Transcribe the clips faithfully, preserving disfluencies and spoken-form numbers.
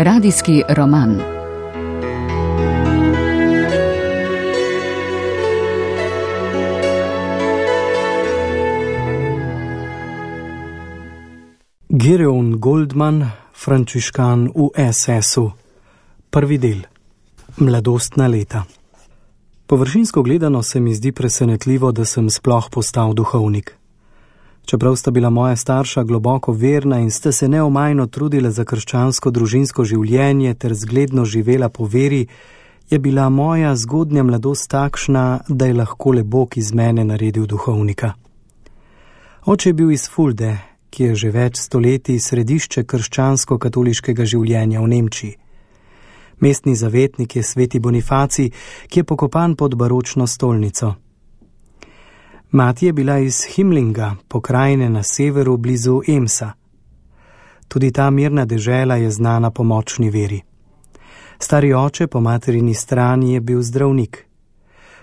Radijski roman. Gideon Goldman, frančiškan v es es-u. Prvi del. Mladostna leta. Površinsko gledano se mi zdi presenetljivo, da sem sploh postal duhovnik. Čeprav sta bila moja starša globoko verna in sta se neomajno trudila za krščansko družinsko življenje ter zgledno živela po veri, je bila moja zgodnja mladost takšna, da je lahko le Bog iz mene naredil duhovnika. Oče je bil iz Fulde, ki je že več stoletij središče krščansko-katoliškega življenja v Nemčiji. Mestni zavetnik je sveti Bonifacij, ki je pokopan pod baročno stolnico. Mati je bila iz Himlinga, pokrajine na severu blizu Emsa. Tudi ta mirna dežela je znana po močni veri. Stari oče po materini strani je bil zdravnik.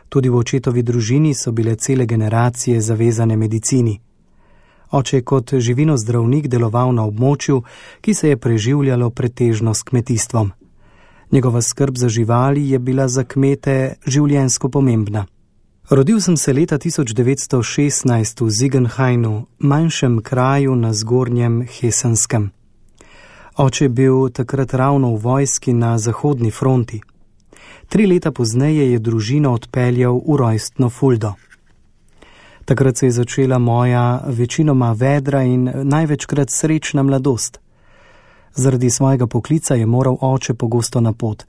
Tudi v očetovi družini so bile cele generacije zavezane medicini. Oče je kot živino zdravnik deloval na območju, ki se je preživljalo pretežno s kmetijstvom. Njegova skrb za živali je bila za kmete življenjsko pomembna. Rodil sem se leta tisoč devetsto šestnajst v Ziegenhainu, manjšem kraju na zgornjem Hesenskem. Oče je bil takrat ravno v vojski na zahodni fronti. Tri leta pozneje je družino odpeljal v rojstno Fuldo. Takrat se je začela moja večinoma vedra in največkrat srečna mladost. Zaradi svojega poklica je moral oče pogosto na pot.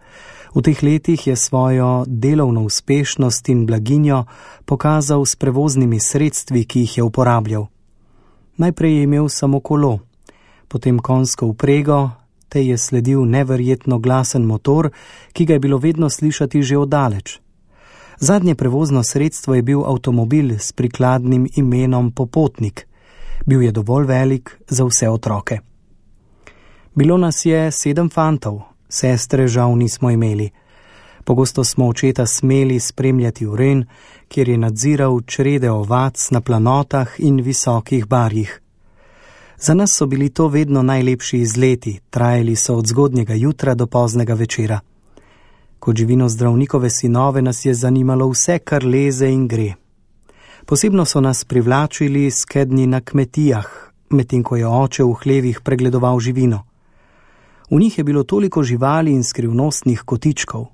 V teh letih je svojo delovno uspešnost in blaginjo pokazal s prevoznimi sredstvi, ki jih je uporabljal. Najprej je imel samo kolo, potem konjsko vprego, te je sledil neverjetno glasen motor, ki ga je bilo vedno slišati že oddaleč. Zadnje prevozno sredstvo je bil avtomobil s prikladnim imenom Popotnik. Bil je dovolj velik za vse otroke. Bilo nas je sedem fantov, sestre žal nismo imeli. Pogosto smo očeta smeli spremljati v Ren, kjer je nadziral črede ovac na planotah in visokih barjih. Za nas so bili to vedno najlepši izleti, trajali so od zgodnjega jutra do poznega večera. Kot živino zdravnikove sinove nas je zanimalo vse, kar leze in gre. Posebno so nas privlačili skednji na kmetijah, medtem ko je oče v hlevih pregledoval živino. V njih je bilo toliko živali in skrivnostnih kotičkov.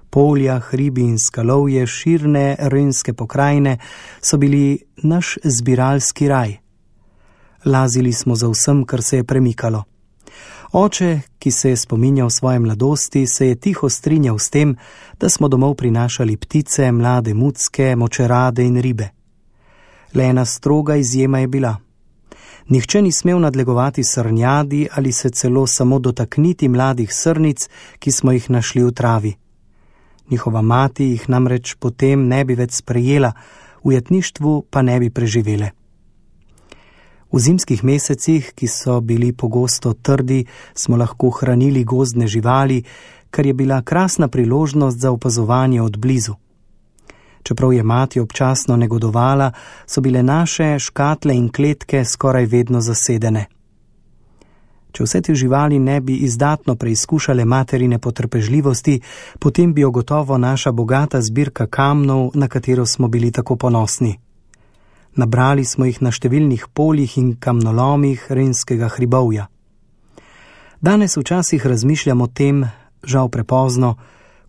Polja, hribi in skalovje širne renske pokrajine so bili naš zbiralski raj. Lazili smo za vsem, kar se je premikalo. Oče, ki se je spominjal svoje mladosti, se je tiho strinjal s tem, da smo domov prinašali ptice, mlade mucke, močerade in ribe. Le ena stroga izjema je bila. Nihče ni smel nadlegovati srnjadi ali se celo samo dotakniti mladih srnic, ki smo jih našli v travi. Njihova mati jih namreč potem ne bi več sprejela, v jetništvu pa ne bi preživele. V zimskih mesecih, ki so bili pogosto trdi, smo lahko hranili gozdne živali, kar je bila krasna priložnost za opazovanje od blizu. Čeprav je mati občasno negodovala, so bile naše škatle in kletke skoraj vedno zasedene. Če vse te živali ne bi izdatno preizkušale materine potrpežljivosti, potem bi jo gotovo naša bogata zbirka kamnov, na katero smo bili tako ponosni. Nabrali smo jih na številnih poljih in kamnolomih renskega hribovja. Danes včasih razmišljam o tem, žal prepozno,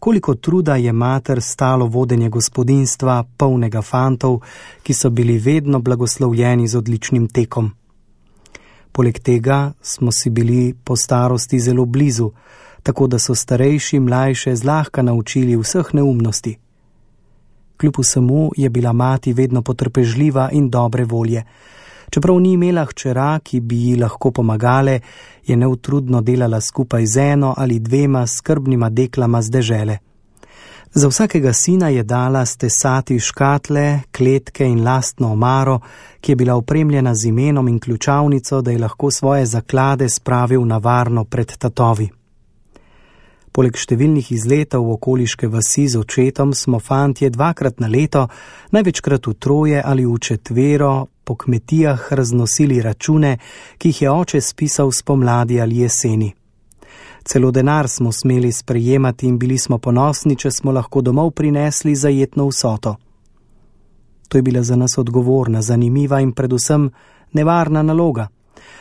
koliko truda je mater stalo vodenje gospodinjstva, polnega fantov, ki so bili vedno blagoslovljeni z odličnim tekom. Poleg tega smo si bili po starosti zelo blizu, tako da so starejši mlajše zlahka naučili vseh neumnosti. Kljub vsemu je bila mati vedno potrpežljiva in dobre volje. Čeprav ni imela hčera, ki bi ji lahko pomagale, je neutrudno delala skupaj z eno ali dvema skrbnima deklama z dežele. Za vsakega sina je dala stesati škatle, kletke in lastno omaro, ki je bila opremljena z imenom in ključavnico, da je lahko svoje zaklade spravil na varno pred tatovi. Poleg številnih izletov v okoliške vasi z očetom smo fantje dvakrat na leto, največkrat v troje ali v četvero, po kmetijah raznosili račune, ki jih je oče spisal spomladi ali jeseni. Celo denar smo smeli sprejemati in bili smo ponosni, če smo lahko domov prinesli zajetno vsoto. To je bila za nas odgovorna, zanimiva in predvsem nevarna naloga.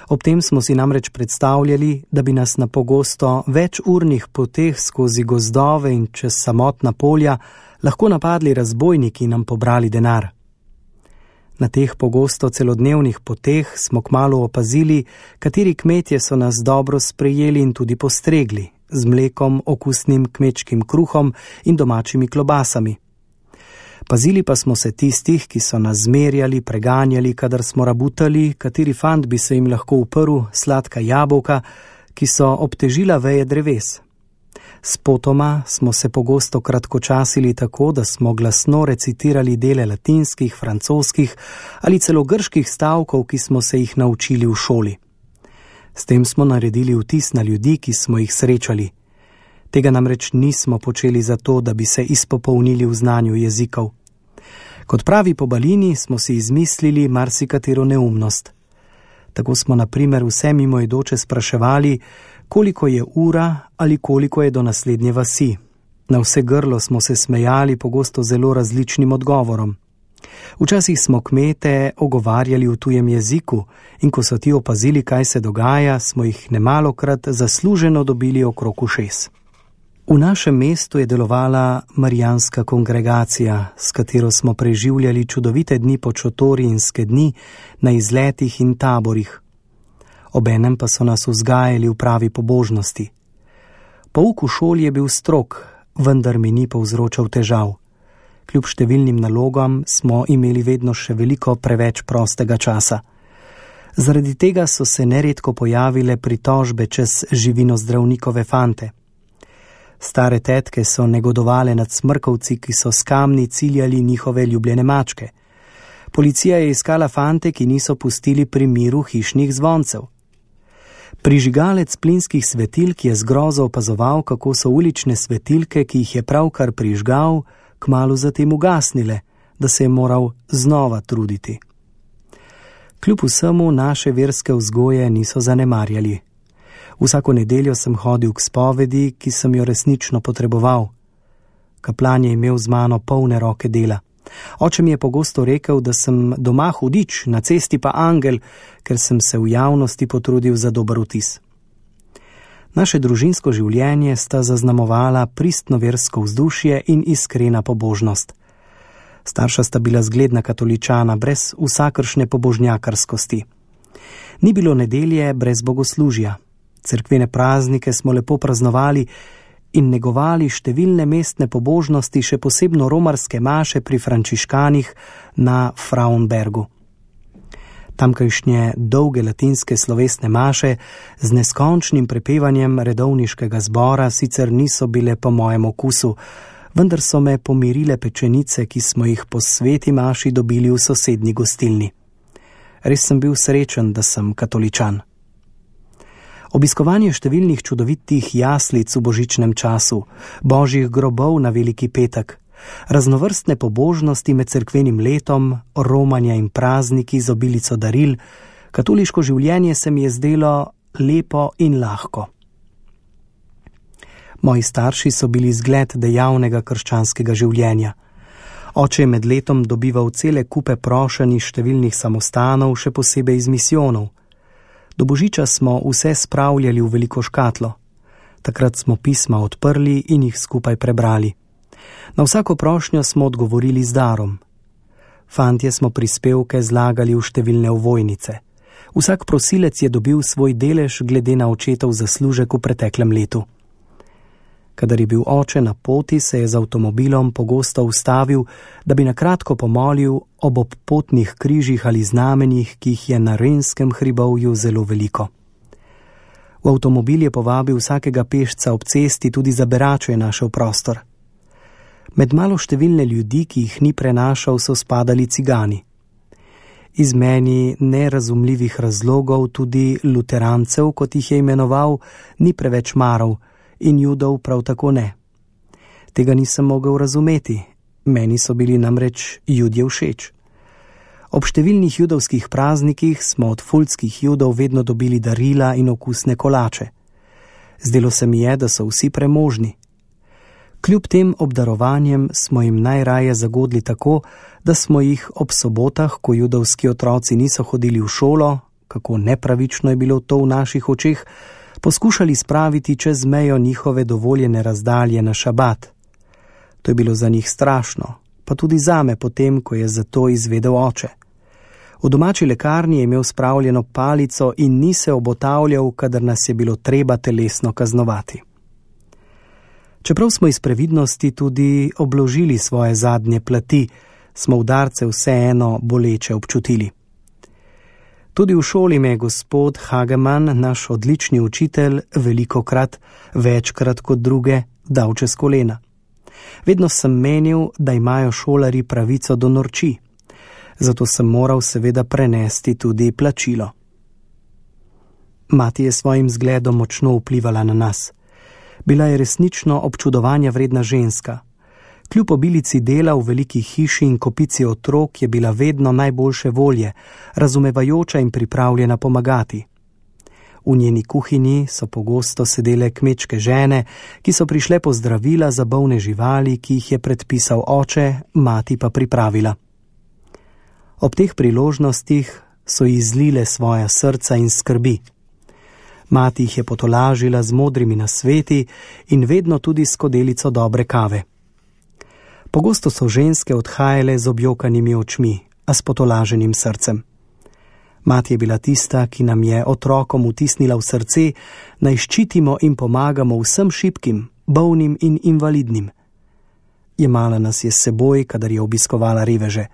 Ob tem smo si namreč predstavljali, da bi nas na pogosto večurnih poteh skozi gozdove in čez samotna polja lahko napadli razbojniki in nam pobrali denar. Na teh pogosto celodnevnih poteh smo kmalu opazili, kateri kmetje so nas dobro sprejeli in tudi postregli, z mlekom, okusnim kmečkim kruhom in domačimi klobasami. Pazili pa smo se tistih, ki so nas zmerjali, preganjali, kadar smo rabutali, kateri fant bi se jim lahko uprl, sladka jabolka, ki so obtežila veje dreves. Spotoma smo se pogosto kratkočasili tako, da smo glasno recitirali dele latinskih, francoskih ali celo grških stavkov, ki smo se jih naučili v šoli. S tem smo naredili vtis na ljudi, ki smo jih srečali. Tega namreč nismo počeli zato, da bi se izpopolnili v znanju jezikov. Kot pravi Pobalini smo si izmislili marsikatero neumnost. Tako smo na primer vse mimoidoče spraševali, koliko je ura ali koliko je do naslednje vasi. Na vse grlo smo se smejali pogosto zelo različnim odgovorom. Včasih smo kmete ogovarjali v tujem jeziku in ko so ti opazili, kaj se dogaja, smo jih nemalokrat zasluženo dobili okrog ušes. V našem mestu je delovala marijanska kongregacija, s katero smo preživljali čudovite dni po Čotori in Skedni na izletih in taborih. Obenem pa so nas vzgajali v pravi pobožnosti. Pouk v šoli je bil strog, vendar mi ni povzročal težav. Kljub številnim nalogam smo imeli vedno še veliko preveč prostega časa. Zaradi tega so se neredko pojavile pritožbe čez živinozdravnikove fante. Stare tetke so negodovale nad smrkovci, ki so s kamni ciljali njihove ljubljene mačke. Policija je iskala fante, ki niso pustili pri miru hišnih zvoncev. Prižigalec plinskih svetilk je z grozo opazoval, kako so ulične svetilke, ki jih je pravkar prižgal, kmalu zatem ugasnile, da se je moral znova truditi. Kljub vsemu naše verske vzgoje niso zanemarjali. Vsako nedeljo sem hodil k spovedi, ki sem jo resnično potreboval. Kaplan je imel z mano polne roke dela. Oče mi je pogosto rekel, da sem doma hudič, na cesti pa angel, ker sem se v javnosti potrudil za dober vtis. Naše družinsko življenje sta zaznamovala pristno versko vzdušje in iskrena pobožnost. Starša sta bila zgledna katoličana, brez vsakršne pobožnjakarskosti. Ni bilo nedelje brez bogoslužja. Cerkvene praznike smo lepo praznovali in negovali številne mestne pobožnosti, še posebno romarske maše pri frančiškanih na Frauenbergu. Tamkajšnje dolge latinske slovesne maše z neskončnim prepevanjem redovniškega zbora sicer niso bile po mojem okusu, vendar so me pomirile pečenice, ki smo jih po sveti maši dobili v sosednji gostilni. Res sem bil srečen, da sem katoličan. Obiskovanje številnih čudovitih jaslic v božičnem času, božjih grobov na veliki petek, raznovrstne pobožnosti med cerkvenim letom, romanja in prazniki z obilico daril, katoliško življenje se mi je zdelo lepo in lahko. Moji starši so bili zgled dejavnega krščanskega življenja. Oče je med letom dobival cele kupe prošenj iz številnih samostanov, še posebej iz misijonov. Do božiča smo vse spravljali v veliko škatlo. Takrat smo pisma odprli in jih skupaj prebrali. Na vsako prošnjo smo odgovorili z darom. Fantje smo prispevke zlagali v številne ovojnice. Vsak prosilec je dobil svoj delež glede na očetov zaslužek v preteklem letu. Kadar je bil oče na poti, se je z avtomobilom pogosto ustavil, da bi nakratko pomolil ob obpotnih križih ali znamenjih, ki jih je na Renskem hribovju zelo veliko. V avtomobil je povabil vsakega pešca ob cesti, tudi za beračo je našel prostor. Med malo številne ljudi, ki jih ni prenašal, so spadali cigani. Iz meni nerazumljivih razlogov tudi luterancev, kot jih je imenoval, ni preveč maral, in judov prav tako ne. Tega nisem mogel razumeti, meni so bili namreč judje všeč. Ob številnih judovskih praznikih smo od fultskih judov vedno dobili darila in okusne kolače. Zdelo se mi je, da so vsi premožni. Kljub tem obdarovanjem smo jim najraje zagodli tako, da smo jih ob sobotah, ko judovski otroci niso hodili v šolo, kako nepravično je bilo to v naših očeh, poskušali spraviti čez mejo njihove dovoljene razdalje na šabat. To je bilo za njih strašno, pa tudi zame potem, ko je za to izvedel oče. V domači lekarni je imel spravljeno palico in ni se obotavljal, kadar nas je bilo treba telesno kaznovati. Čeprav smo iz previdnosti tudi obložili svoje zadnje plati, smo udarce vseeno boleče občutili. Tudi v šoli me je gospod Hageman, naš odlični učitelj, velikokrat, večkrat kot druge, dal čez kolena. Vedno sem menil, da imajo šolari pravico do norči, zato sem moral seveda prenesti tudi plačilo. Mati je svojim zgledom močno vplivala na nas. Bila je resnično občudovanja vredna ženska. Kljub obilici dela v veliki hiši in kopici otrok je bila vedno najboljše volje, razumevajoča in pripravljena pomagati. V njeni kuhinji so pogosto sedele kmečke žene, ki so prišle po zdravila za bolne živali, ki jih je predpisal oče, mati pa pripravila. Ob teh priložnostih so ji zlile svoja srca in skrbi. Mati jih je potolažila z modrimi nasveti in vedno tudi s skodelico dobre kave. Pogosto so ženske odhajale z objokanimi očmi, a s potolaženim srcem. Mati je bila tista, ki nam je otrokom vtisnila v srce, naj ščitimo in pomagamo vsem šibkim, bolnim in invalidnim. Jemala nas je s seboj, kadar je obiskovala reveže.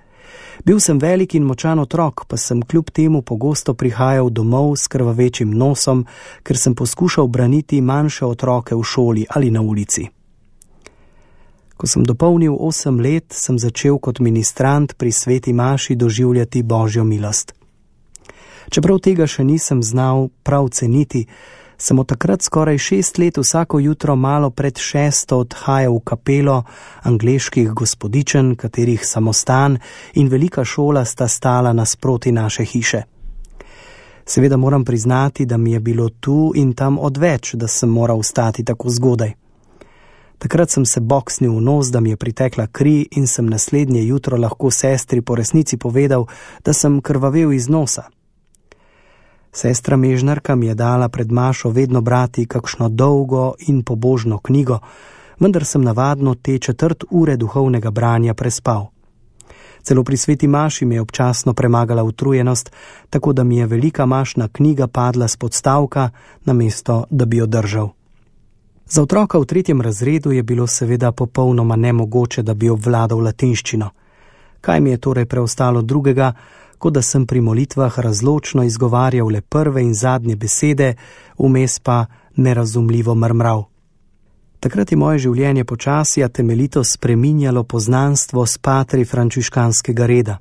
Bil sem velik in močan otrok, pa sem kljub temu pogosto prihajal domov s krvavečim nosom, ker sem poskušal braniti manjše otroke v šoli ali na ulici. Ko sem dopolnil osem let, sem začel kot ministrant pri sveti maši doživljati Božjo milost. Čeprav tega še nisem znal prav ceniti, sem od takrat skoraj šest let vsako jutro malo pred šesto odhajal v kapelo angleških gospodičen, katerih samostan in velika šola sta stala nasproti naše hiše. Seveda moram priznati, da mi je bilo tu in tam odveč, da sem moral vstati tako zgodaj. Takrat sem se boksnil v nos, da mi je pritekla kri in sem naslednje jutro lahko sestri po resnici povedal, da sem krvavel iz nosa. Sestra Mežnarka mi je dala pred mašo vedno brati kakšno dolgo in pobožno knjigo, vendar sem navadno te četrt ure duhovnega branja prespal. Celo pri sveti maši mi je občasno premagala utrujenost, tako da mi je velika mašna knjiga padla s podstavka, namesto da bi jo držal. Za otroka v tretjem razredu je bilo seveda popolnoma nemogoče, da bi obvladal latinščino. Kaj mi je torej preostalo drugega, kot da sem pri molitvah razločno izgovarjal le prve in zadnje besede, vmes pa nerazumljivo mrmral. Takrat je moje življenje počasi a temeljito spreminjalo poznanstvo s patri frančiškanskega reda.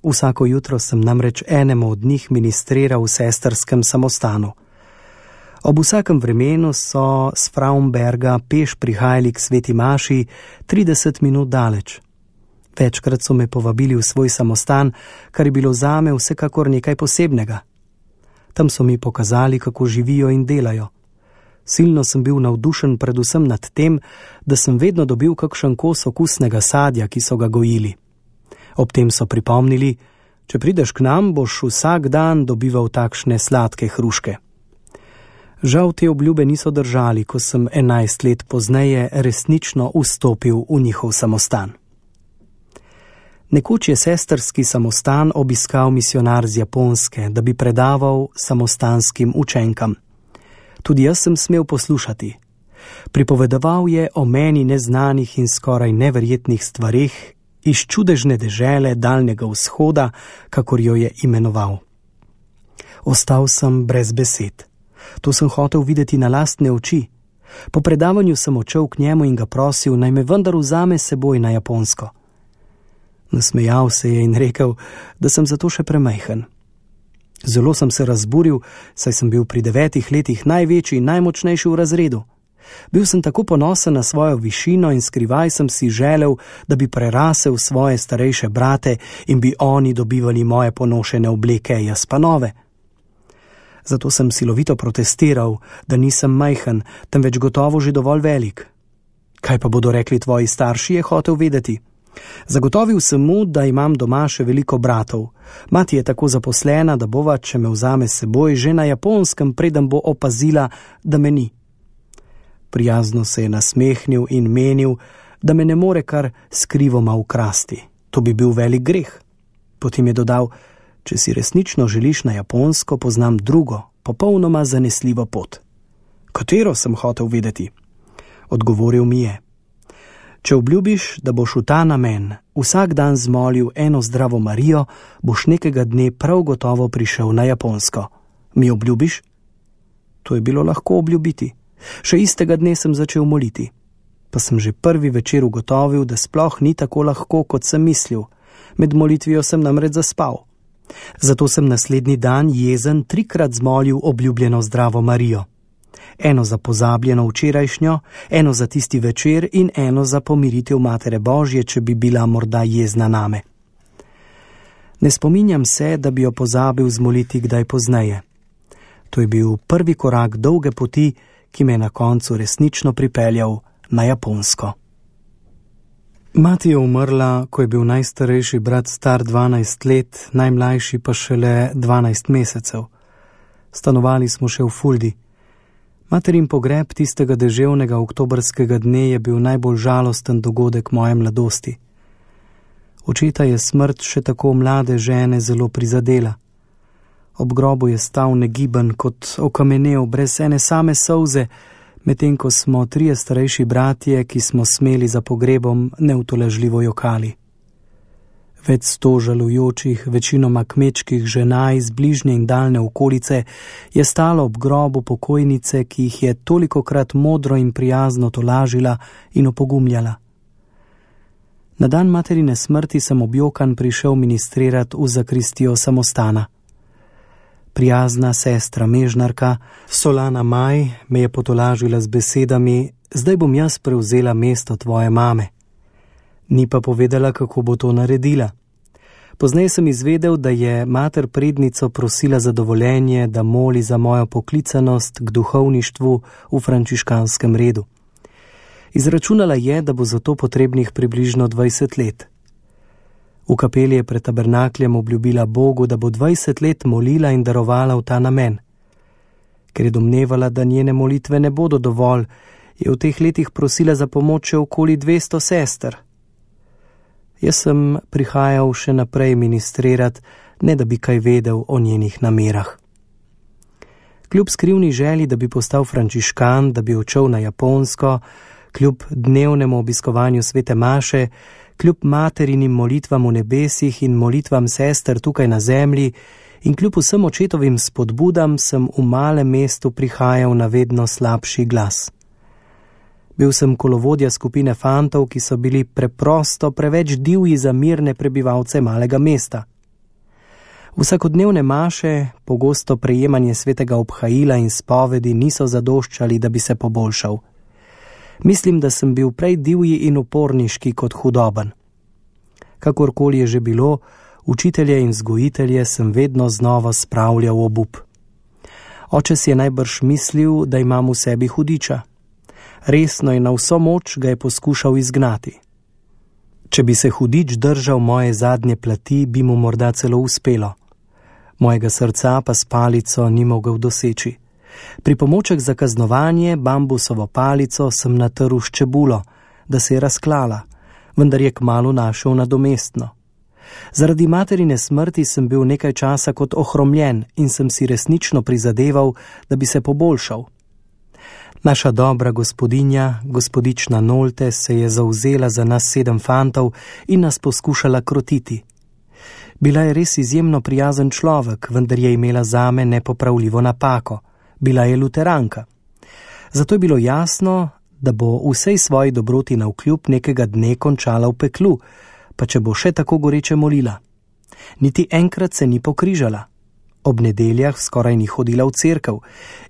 Vsako jutro sem namreč enemu od njih ministriral v sestrskem samostanu. Ob vsakem vremenu so s Fraumberga peš prihajali k sveti maši trideset minut daleč. Večkrat so me povabili v svoj samostan, kar je bilo zame vsekakor nekaj posebnega. Tam so mi pokazali, kako živijo in delajo. Silno sem bil navdušen predvsem nad tem, da sem vedno dobil kakšen kos okusnega sadja, ki so ga gojili. Ob tem so pripomnili, če prideš k nam, boš vsak dan dobival takšne sladke hruške. Žal te obljube niso držali, ko sem enajst let pozneje resnično vstopil v njihov samostan. Nekoč je sestrski samostan obiskal misionar z Japonske, da bi predaval samostanskim učenkam. Tudi jaz sem smel poslušati. Pripovedoval je o meni neznanih in skoraj neverjetnih stvareh iz čudežne dežele daljnega vzhoda, kakor jo je imenoval. Ostal sem brez besed. To sem hotel videti na lastne oči. Po predavanju sem odšel k njemu in ga prosil, naj me vendar vzame seboj na Japonsko. Nasmejal se je in rekel, da sem zato še premajhen. Zelo sem se razburil, saj sem bil pri devetih letih največji in najmočnejši v razredu. Bil sem tako ponosen na svojo višino in skrivaj sem si želel, da bi prerasel svoje starejše brate in bi oni dobivali moje ponošene obleke, jaz pa nove. Zato sem silovito protestiral, da nisem majhen, temveč gotovo že dovolj velik. Kaj pa bodo rekli tvoji starši, je hotel vedeti. Zagotovil sem mu, da imam doma še veliko bratov. Mati je tako zaposlena, da bova, če me vzame s seboj, že na Japonskem, preden bo opazila, da me ni. Prijazno se je nasmehnil in menil, da me ne more kar skrivoma ukrasti. To bi bil velik greh. Potem je dodal, če si resnično želiš na Japonsko, poznam drugo, popolnoma zanesljivo pot. Katero, sem hotel vedeti? Odgovoril mi je. Če obljubiš, da boš v ta namen vsak dan zmolil eno zdravo Marijo, boš nekega dne prav gotovo prišel na Japonsko. Mi obljubiš? To je bilo lahko obljubiti. Še istega dne sem začel moliti. Pa sem že prvi večer ugotovil, da sploh ni tako lahko, kot sem mislil. Med molitvijo sem namreč zaspal. Zato sem naslednji dan jezen trikrat zmolil obljubljeno zdravo Marijo. Eno za pozabljeno včerajšnjo, eno za tisti večer in eno za pomiritev Matere Božje, če bi bila morda jezna name. Ne spominjam se, da bi jo pozabil zmoliti kdaj pozneje. To je bil prvi korak dolge poti, ki me je na koncu resnično pripeljal na Japonsko. Mati je umrla, ko je bil najstarejši brat star dvanajst let, najmlajši pa šele dvanajst mesecev. Stanovali smo še v Fuldi. Materin pogreb tistega deževnega oktobrskega dne je bil najbolj žalosten dogodek moje mladosti. Očeta je smrt še tako mlade žene zelo prizadela. Ob grobu je stal negiben kot okamenel, brez ene same solze, medtem ko smo trije starejši bratje, ki smo smeli za pogrebom, neutolažljivo jokali. Več sto žalujočih, večinoma kmečkih žena iz bližnje in daljne okolice je stalo ob grobu pokojnice, ki jih je tolikokrat modro in prijazno tolažila in opogumljala. Na dan materine smrti sem objokan prišel ministrirati v zakristijo samostana. Prijazna sestra mežnarka, Solana Maj, me je potolažila z besedami: zdaj bom jaz prevzela mesto tvoje mame. Ni pa povedala, kako bo to naredila. Pozneje sem izvedel, da je mater prednico prosila za dovoljenje, da moli za mojo poklicanost k duhovništvu v frančiškanskem redu. Izračunala je, da bo za to potrebnih približno dvajset let. V kapeli je pred tabernakljem obljubila Bogu, da bo dvajset let molila in darovala v ta namen. Ker je domnevala, da njene molitve ne bodo dovolj, je v teh letih prosila za pomoč še okoli dvesto sester. Jaz sem prihajal še naprej ministrirati, ne da bi kaj vedel o njenih namerah. Kljub skrivni želji, da bi postal frančiškan, da bi odšel na Japonsko, kljub dnevnemu obiskovanju svete maše, kljub materinim molitvam v nebesih in molitvam sester tukaj na zemlji in kljub vsem očetovim spodbudam, sem v malem mestu prihajal na vedno slabši glas. Bil sem kolovodja skupine fantov, ki so bili preprosto preveč divji za mirne prebivalce malega mesta. Vsakodnevne maše, pogosto prejemanje svetega obhajila in spovedi niso zadoščali, da bi se poboljšal. Mislim, da sem bil prej divji in uporniški kot hudoben. Kakorkoli je že bilo, učitelje in vzgojitelje sem vedno znova spravljal v obup. Oče si je najbrž mislil, da imam v sebi hudiča. Resno in na vso moč ga je poskušal izgnati. Če bi se hudič držal moje zadnje plati, bi mu morda celo uspelo. Mojega srca pa s palico ni mogel doseči. Pripomoček za kaznovanje, bambusovo palico, sem natrl s čebulo, da se je razklala, vendar je kmalu našel nadomestno. Zaradi materine smrti sem bil nekaj časa kot ohromljen in sem si resnično prizadeval, da bi se poboljšal. Naša dobra gospodinja, gospodična Nolte, se je zavzela za nas sedem fantov in nas poskušala krotiti. Bila je res izjemno prijazen človek, vendar je imela zame nepopravljivo napako. Bila je luteranka. Zato je bilo jasno, da bo vsej svoji dobroti navkljub nekega dne končala v peklu, pa če bo še tako goreče molila. Niti enkrat se ni pokrižala. Ob nedeljah skoraj ni hodila v cerkev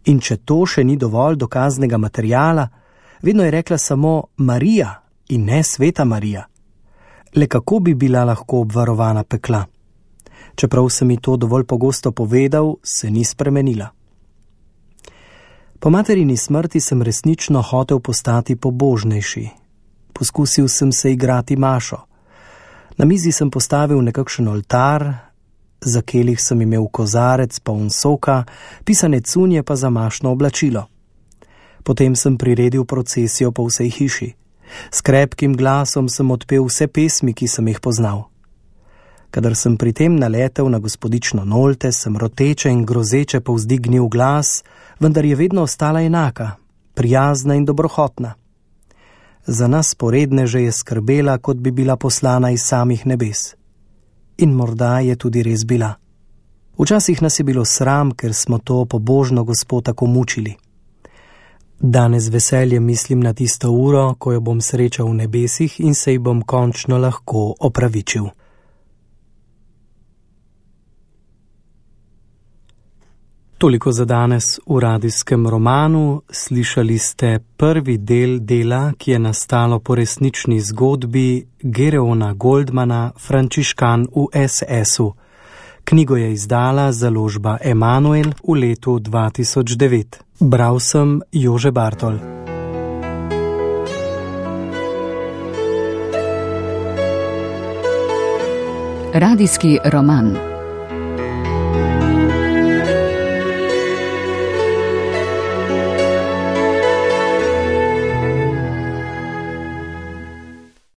in če to še ni dovolj dokaznega materiala, vedno je rekla samo Marija in ne Sveta Marija. Le kako bi bila lahko obvarovana pekla? Čeprav sem mi to dovolj pogosto povedal, se ni spremenila. Po materini smrti sem resnično hotel postati pobožnejši. Poskusil sem se igrati mašo. Na mizi sem postavil nekakšen oltar, za kelih sem imel kozarec poln soka, pisane cunje pa za mašno oblačilo. Potem sem priredil procesijo po vsej hiši. S krepkim glasom sem odpel vse pesmi, ki sem jih poznal. Kadar sem pri tem naletel na gospodično Nolte, sem roteče in grozeče povzdignil glas, vendar je vedno ostala enaka, prijazna in dobrohotna. Za nas poredneže je skrbela, kot bi bila poslana iz samih nebes. In morda je tudi res bila. Včasih nas je bilo sram, ker smo to pobožno gospo tako mučili. Danes z veseljem mislim na tisto uro, ko jo bom srečal v nebesih in se ji bom končno lahko opravičil. Toliko za danes v radijskem romanu. Slišali ste prvi del dela, ki je nastalo po resnični zgodbi Gereona Goldmana, Frančiškan v es esu. Knjigo je izdala založba Emanuel v letu dva tisoč devet. Bral sem Jože Bartol. Radijski roman.